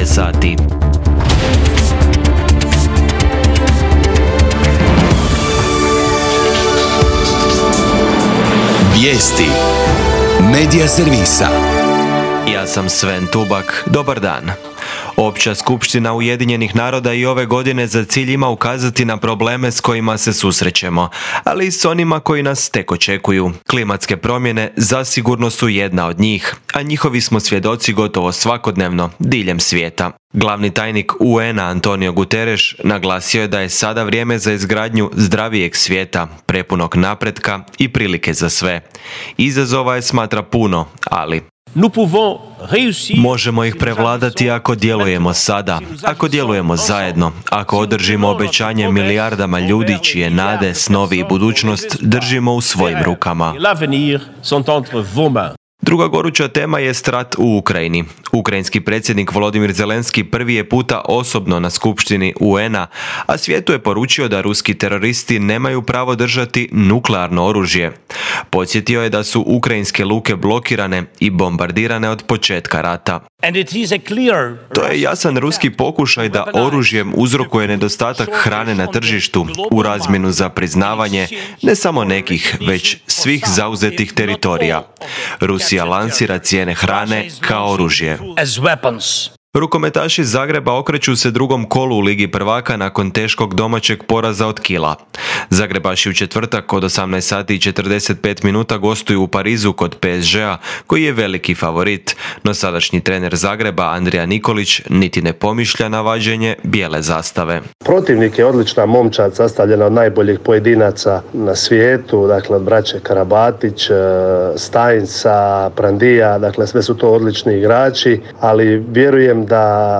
je sati. Vijesti Medija servisa. Ja sam Sven Tubak, dobar dan. Opća skupština Ujedinjenih naroda i ove godine za cilj ima ukazati na probleme s kojima se susrećemo, ali i s onima koji nas tek očekuju. Klimatske promjene zasigurno su jedna od njih, a njihovi smo svjedoci gotovo svakodnevno, diljem svijeta. Glavni tajnik UN-a Antonio Guterres naglasio je da je sada vrijeme za izgradnju zdravijeg svijeta, prepunog napretka i prilike za sve. Izazova je smatra puno, ali možemo ih prevladati ako djelujemo sada, ako djelujemo zajedno, ako održimo obećanje milijardama ljudi čije nade, snovi i budućnost držimo u svojim rukama. Druga goruća tema je rat u Ukrajini. Ukrajinski predsjednik Volodimir Zelenski prvi je puta osobno na skupštini UN-a, a svijetu je poručio da ruski teroristi nemaju pravo držati nuklearno oružje. Podsjetio je da su ukrajinske luke blokirane i bombardirane od početka rata. To je jasan ruski pokušaj da oružjem uzrokuje nedostatak hrane na tržištu u razmjenu za priznavanje ne samo nekih, već svih zauzetih teritorija. Rusija lansira cijene hrane kao oružje. Rukometaši Zagreba okreću se drugom kolu u Ligi prvaka nakon teškog domaćeg poraza od Kila. Zagrebaši u četvrtak od 18 sati i 45 minuta gostuju u Parizu kod PSG-a, koji je veliki favorit, no sadašnji trener Zagreba Andrija Nikolić niti ne pomišlja na vađenje bijele zastave. Protivnik je odlična momčad sastavljena od najboljih pojedinaca na svijetu, dakle od braće Karabatić, Stajnca, Prandija, dakle sve su to odlični igrači, ali vjerujem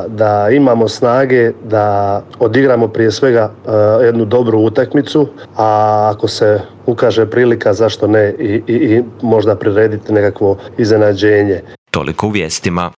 da imamo snage da odigramo prije svega jednu dobru utakmicu, a ako se ukaže prilika, zašto ne i možda prirediti nekakvo iznenađenje. Toliko u vijestima.